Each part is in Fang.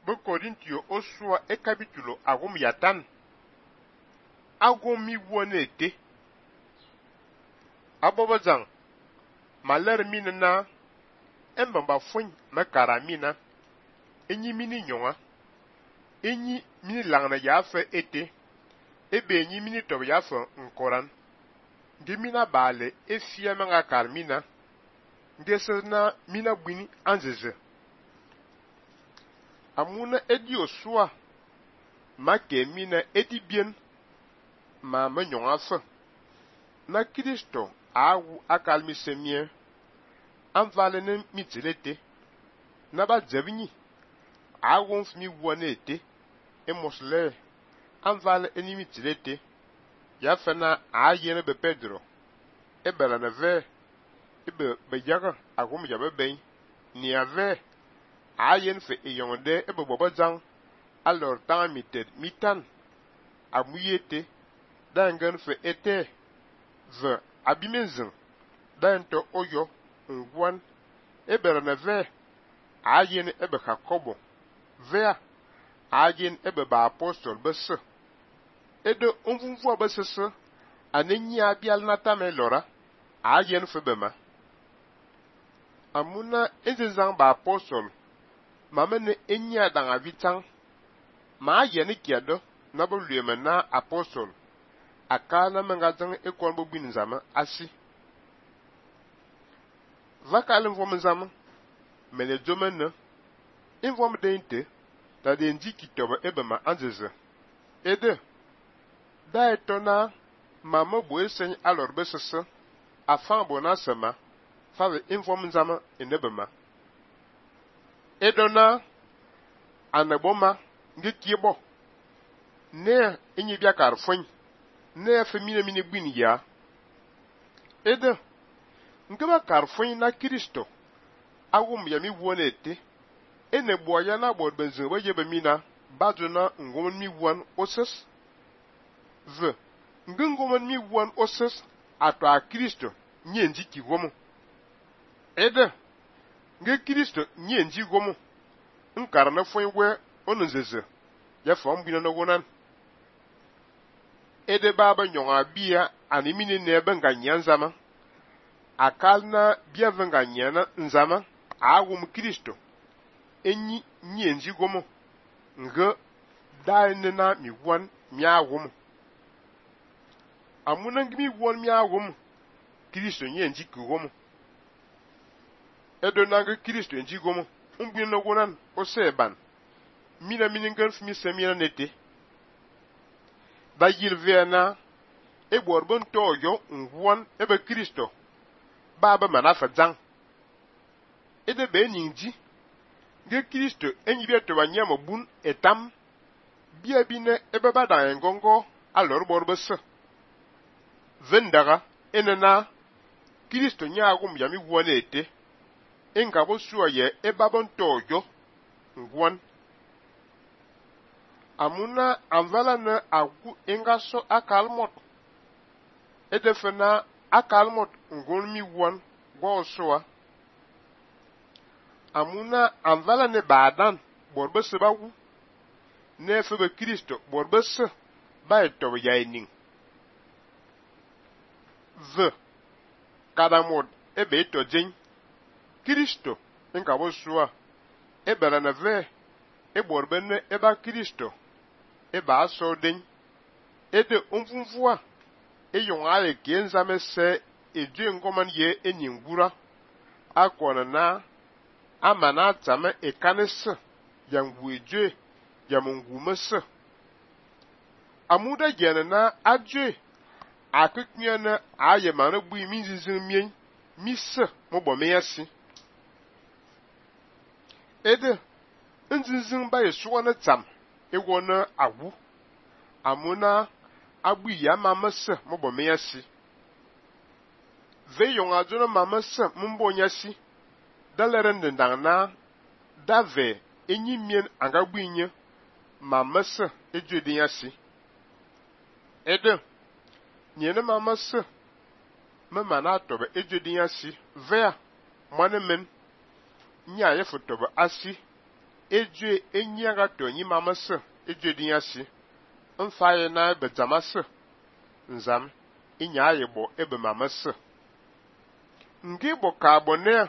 be Korintio osua e capítulo agum yatan agum mi wone ete abobazang maler minna embamba fun makara mina enyi mini nyonga enyi mini langna yafe ete ebe enyi mini tob yafe nkoran ngemina bale efia manga karmina ngesena mina bwini anzeze amuna edi osua make mina edi bien ma nyonga fe na Kristo awu akalmi semie anvale ne mitilete na ba dzebni awon fmi wonete e mosle anvale eni mitilete ya fena ayene be Pedro e bela na ve e be jaga agum ya be ben ni ave ayen fe eyonde e be bobazang alors tan mited mitan amuyete dangan fe ete ve abimenzin dan to oyo ngwan e bela na ve ayen e be Jacobo ve ayen e be ba apostol bese edo onvunvu abesese anenyi abial natame lora ayen fe bema amuna ezenzang ba apostol mamene enyi adang avitang ma ayen kiado na bo lueme na apostol akana mengazang ekon bo bin zama asi vakalen vom zama mele domene invom deinte da de ndi kitoba ebema anzeze ede da etona mama bo esen alor besese afan bona sema fave invom zama enebema edona anaboma nge kiebo ne enyi bia karfon ne femine mini gbin ya ede ngeba karfon na Kristo awum ya mi wonete ene boya na bod benzo ba yebe mina baduna ngomon mi won oses ve ngomon mi won oses ato a Kristo nyenji ki gomo ede nge Kristo nyenji gomo nkara na fon we onuzeze ya fon bina no wonan ede baba nyonga bia animini ne benga nyanzama akalna bia venga nyana nzama awum Kristo enyi nyenji gomo nge daine na mi won mi awum amuna ngimi won mi awum Kristo nyenji ku gomo edo nanga Kristo nji gomo umbi no gonan oseban mina miningan fmi semina nete ba yilvena e borbon toyo ngwon ebe Kristo baba manafa zang ede be nyinji nge Kristo enyi bia to banyama bun etam bia bine ebe bada ngongo alor borbese vendaga enena Kristo nyagum yami wonete enga bo suaye e babon toyo ngwon amuna anvala na agu enga so akalmot edefena akalmot ngon mi won go soa amuna anvala ne badan borbese bawu ne febe Kristo borbese ba eto yainin ve kadamod ebe to jin Kristo enga bo soa ebela na ve e borbenne eba Kristo eba aso den ede onfunfua eyongale genzame se eje ngoman ye eningura akona na amana tame ekanese yangu eje yamungu mese amuda gene na aje akeknyana aye mana bui minzizin mien mise mobo meyasi ede nzinzin ba yesuwa na tam ewona awu amuna abu ya mamase mobo meyasi ve yonga jona mamase mumbo nyasi daleren ndangna dave enyi mien anga buinye mamase ejodi yasi ede nyene mamase mama na tobe ejodi yasi ve mane men nya ye fotobe asi ejue enyaga to nyi mamase ejue dinyasi mfaye na ebe zamase nzam inya yebo ebe mamase ngi bo ka bonne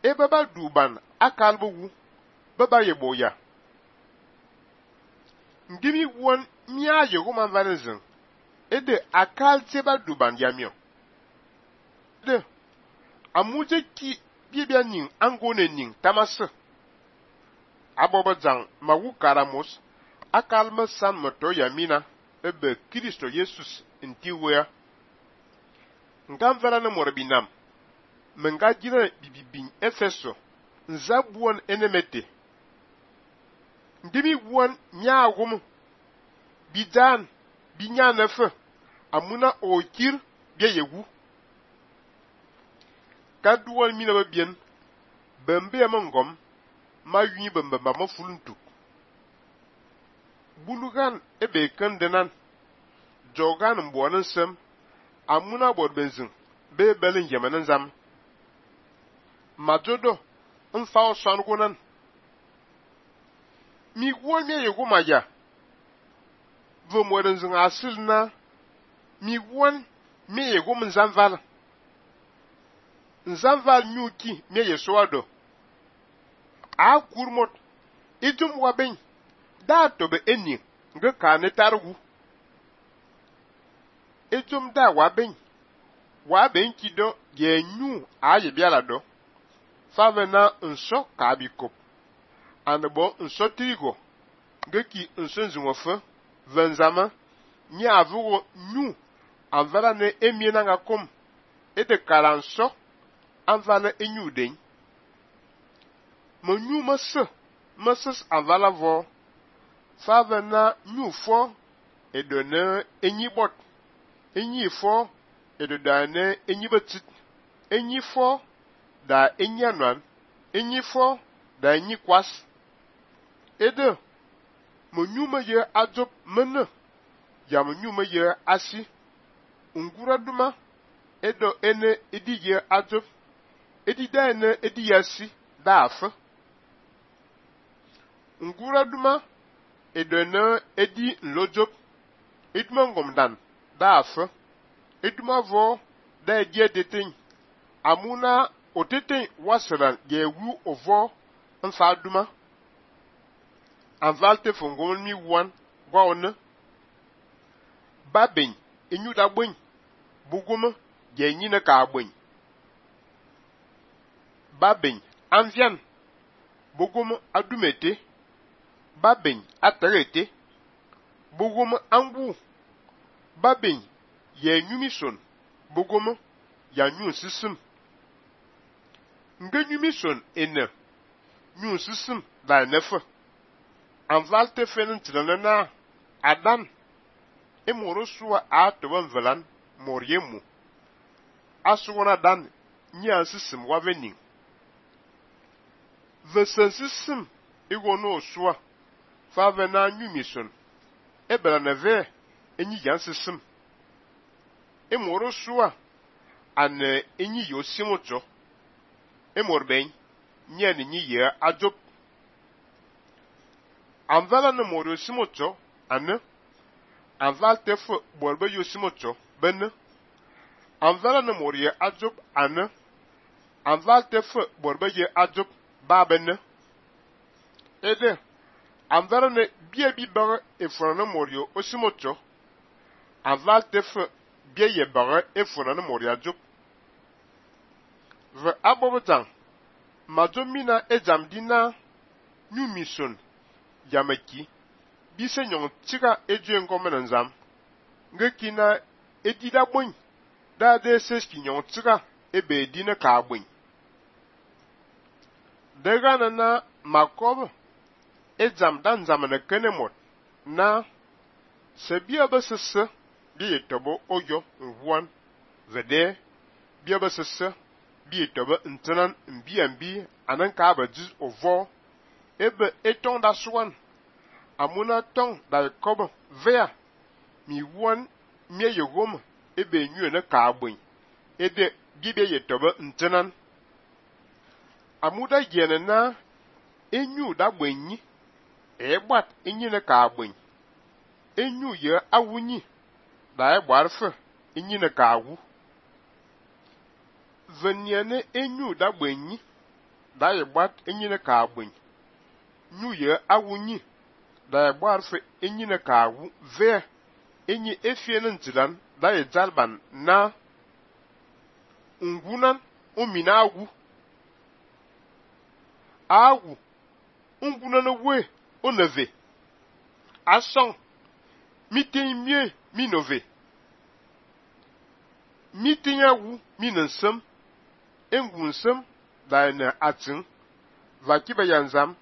ebe ba duban akalbo wu baba yebo ya ngimi won nya yego man vanezin ede akal teba duban yamio de amuje ki bibia ning angone ning tamase abobo zang mawu karamos akal masan moto yamina ebe Kristo Jesus ntiwe ngam vela na morbinam menga jina bibibin efeso nzabuon enemete ndimi won nyaagum bidan binya nefe amuna okir bia yegu kaduwal mina babien bembe amangom ma yuni bembe ma mafuluntu bulugan ebe kandenan jogan mbonan sem amuna bodbenzin be belin yamanan zam majodo mfa oswangunan mi won me yego maja vo modan zin asil na mi won me yego mzanval nyuki me yesoado a kurmot itum waben da to be eni nga ka ne targu itum da waben kido ye nyu a ye biala do favena nso ka bikop anebo nso trigo ngeki nso nzunwofe venzama nya avugo nyu anvala ne emiena ngakom ede karanso anvala enyu den mo nyu mase anvala vo favena nyu fo edone enyi bot enyi fo edodane enyi betit enyi fo da enyi anan enyi fo da enyi kwas ede mo nyuma ye adop mena ya mo nyuma ye asi ungura duma edo ene edi ye adop edi da ene edi yasi da afa ungura duma edo ene edi nlojop eduma ngomdan da afa eduma vo da edi edeten amuna oteten wasran ye wu ovo nfa duma anvalte fongon mi wan gwa one babin inyu da gbin buguma ye nyina ka gbin babin anvian buguma adumete babin atarete buguma angu babin ye nyumison buguma ya nyu sisim nge nyumison ene nyu sisim da nefa anvalte fenen tlanana adan emoro suwa atoban velan moriemu asuwana dan nya sisim wavening vesensisim igono suwa favena nyumison ebela neve enyi yansisim emoro suwa ane enyi yosimocho emorben nya ni nyi ye ajop anvala ne moro simocho ane anval tefo borbe yosimocho benne anvala ne moro ye ajop ane anval tefo borbe ye ajop ba benne ede anvala ne bie bi bare efona ne moro osimocho anval tefo bie ye bare efona ne moro ajop ve abobotan majomina ejamdina nyumison yamaki bise nyong chika ejue ngomena nzam ngekina edida gbon da de seski nyong chika ebe edina ka gbon daga na makob ejam dan zamana kenemot na sebia basese bi etobo oyo nwan vede bia basese bi etobo ntenan mbi anan ka ba dis ovo ebe eton da swan amuna tong da kobo vea mi won mie yegom ebe nyu na ka agbin ede gibe yetobe ntenan amuda yene na enyu da gbenyi egbat enyine ka agben enyu ye awunyi da egbarfe enyine ka awu veniene enyu da gbenyi da egbat enyine ka agben nyu ye awunyi da egbarfe enyine ka awu ve enyi efiene ntilan da ejalban na ngunan umina awu ngunan we oneve asong mitimie minove mitinyawu minansem engunsem da na atin vakiba yanzam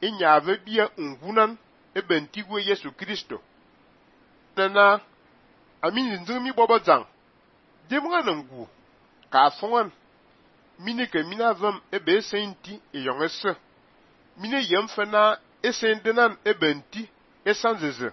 inyave bia ngunan ebentigwe Yesu Kristo na amini nzimi bobo jang demwa nangu ka fongan mini ke mina vam ebe senti eyongese mine yemfena esendenan ebenti esanzeze